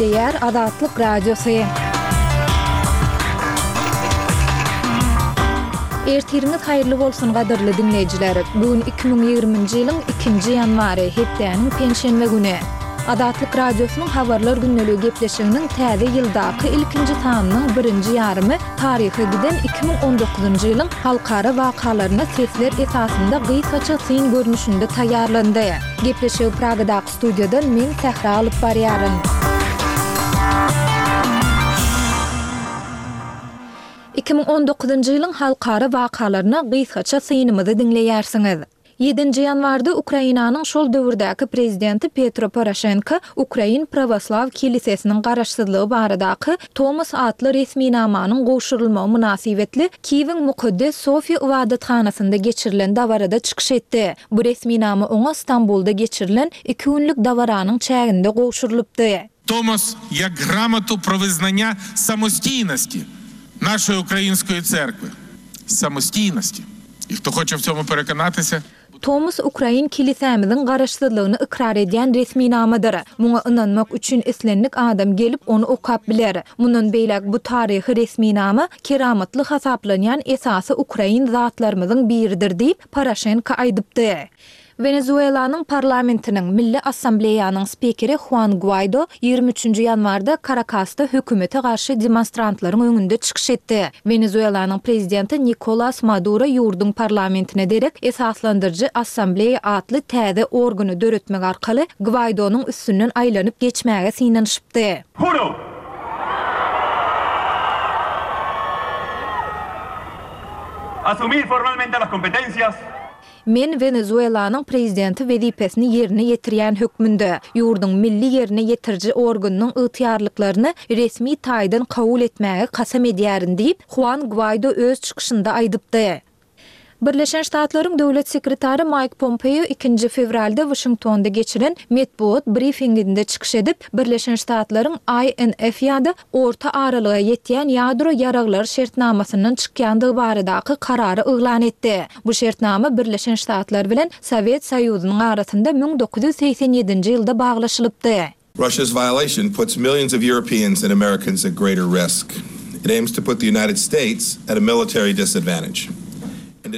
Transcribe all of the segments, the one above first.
Gepleýär Azatlyk Radiosy. Ertiriňiz haýyrly bolsun gadyrly diňleýjiler! Bu gün 2020-nji ýylyň ikinji ýanwary, hepdäniň penşenbe güni. Azatlyk Radiosynyň Habarlar gündeligi gepleşiginiň täze ýyldaky ilkinji sanynyň birinji ýarymy taryha giden 2019-njy ýylyň halkara wakalaryna sesler esasynda gysgaça syn görnüşinde taýýarlandy. Gepleşigi Pragadaky studiýadan men Sähra alyp barýaryn. 2019-njy ýylyň halkara wakalaryna gysgaça synymyzy diňleýärsiňiz. Ýedinji ýanwarda Ukrainanyň şol döwürdäki prezidenti Petro Poroşenko Ukrain Prawoslaw kilisesiniň garaşsyzlygy baradaky Tomos atly resminamanyň gowşurylmagy mynasybetli Kiýewiň Mukaddes Sofiýa ybadathanasynda geçirilen dabarada çykyş etdi. Bu resminama oňa Stambulda geçirilen iki günlük dabaranyň çäginde gowşurylypdy. Tomos jak gramotu pro wyznania samoscijnosti naszej ukrainskoj cerkwi. Samoscijnosti. I kto hoçe w cemu perekonatysja. Tomos ukrain kilisämiziň garaşsyzlygyny ykrar edýän resminamadyr. Muňa ynanmak üçin islendik adam gelip ony okap biler. Mundan beýläk bu taryhy resminama keramatly hasaplanýan esasy ukrain zatlarymyzyň biridir diýip, Poroşenko aýdypdy. Wenezuelanyň parlamentiniň, Milli Assambleýanyň spikeri Huan Guaýdo 23 üçünji ýanwarda Karakasda hökümete garşy demonstrantlaryň öňünde çykyş etdi. Wenezuelanyň prezidenti Nikolas Maduro ýurduň parlamentine derek Esaslandyryjy Assambleýa atly täze organy döretmek arkaly Gwaýdonyň üstünden aýlanyp geçmäge synanyşypdy. Juro asumir formalmente las competencias. Men Wenezuelanyň prezidenti wezipesini ýerine ýetirýän hökmünde, ýurduň milli ýerine ýetiriji organynyň ygtyýarlyklaryny resmi taýdan kabul etmäge kasam edýärin diýip, Huan Gwaýdo öz çykyşynda aýdypdy. Birleşen Ştatlaryň Döwlet sekretary Maýk Pompeo ikinji fewralda Waşingtonda geçiren metbugat brifinginde çykyş edip, Birleşen Ştatlaryň INF ýa-da Orta aralyga ýetýän ýadro ýaraglary şertnamasyndan çykýandygy baradaky karary yglan etdi. Bu şertnama Birleşen Ştatlar bilen Sowet Soýuzynyň arasynda 1987-nji ýylda baglaşylypdy. Russia's violation puts millions of Europeans and Americans at greater risk. It aims to put the United States at a military disadvantage.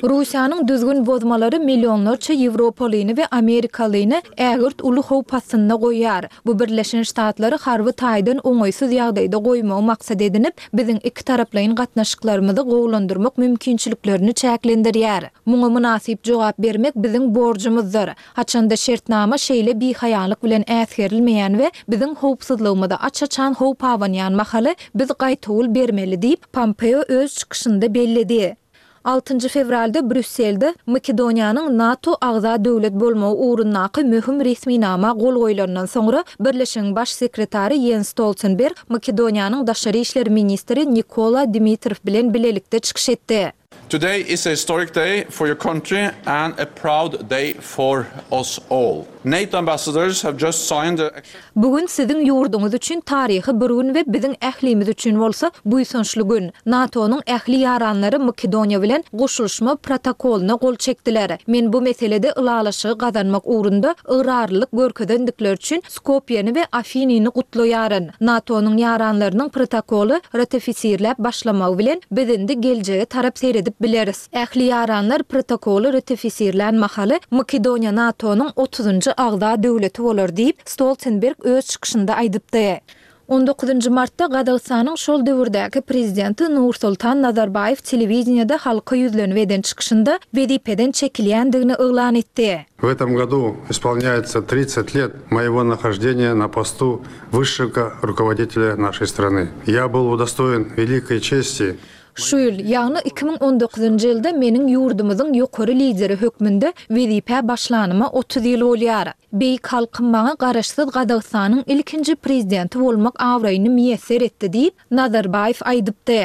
Russiýanyň düzgün bozmalary millionlarça ýewropalyny we amerikalyny ägirt uly howp astynda goýýar. Bu Birleşen Ştatlary harby taýdan oňaýsyz ýagdaýda goýmagy maksat edinip, biziň ikitaraplaýyn gatnaşyklarymyzy gowulandyrmak mümkinçiliklerini çäklendirýär. Muňa mynasyp jogap bermek biziň borjumyzdyr. Haçanda şertnama şeýle bihaýalyk bilen äsgerilmeýän we biziň howpsuzlygymyza aç-açan howp abanýan mahaly, biz gaýtawul bermeli diýip, Pompeo öz çykyşynda belledi. Altynjy fewralda Brýusselde Makedoniýanyň NATO agza döwlet bolmagy ugrundaky möhüm resminama gol goýlandan soňra, Birleşigiň Baş sekretary Ýens Stoltenberg Makedoniýanyň daşary işler ministri Nikola Dimitrow bilen bilelikde çykyş etdi. Today is a historic day for your country and a proud day for us all. NATO ambassadors have just signed a. Bu gün siziň ýurduňyz üçin taryhy bir gün we biziň ählimiz üçin bolsa buýsançly gün. NATO-nyň ähli ýaranlary Makedoniýa bilen goşulyşma protokolyna gol çekdiler. Men bu meselede ylalaşygy gazanmak ugrunda ygrarlylyk görkezendikleri üçin Skopýeni we Afinyny gutlaýaryn. NATO-nyň ýaranlarynyň protokoly ratifisirläp başlamagy bilen biz indi geljege tarap seredip bileris. Ähli ýaranlar protokoly ratifisirlän mahaly Makedoniýa NATO-nyň otuzynjy agza döwleti bolar diýip, Stoltenberg öz çykyşynda aýdypdy. On dokuzynjy martda Gazagystanyň şol döwürdäki prezidenti Nursultan Nazarbaýew telewideniýede halka ýüzlenip eden çykyşynda wezipeden çekilýändigini yglan etdi. W etom godu ispolnýaýtsa tridtsat let moýego nahoždeniýa na postu wyşşego rukovoditelýa našeý strany. Ýa byl udostoýen welikoý çesti Şu ýyl, ýagny 2019-njy ýylda meniň ýurdumyzyň ýokary lideri hökmünde wezipä başlanyma 30 ýyl bolýar. Beýik halkym maňa Garaşsyz Gazagystanyň ilkinji Prezidenti bolmak abraýyny miýesser etdi diýip, Nazarbaýew aýdypdy.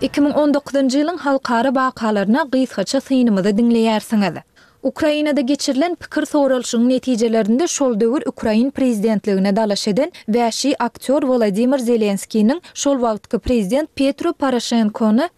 2019-njy ýylyň halkara wakalaryna gysgaça synymyzy diňleýärsiňiz. Ukrainada geçirilen pikir soralyşygyň netijelerinde şol döwür ukrain prezidentligine dalaş eden wäşi aktýor Wolodymyr Zelenskiniň şol wagtky prezident Petro Poroşenkony.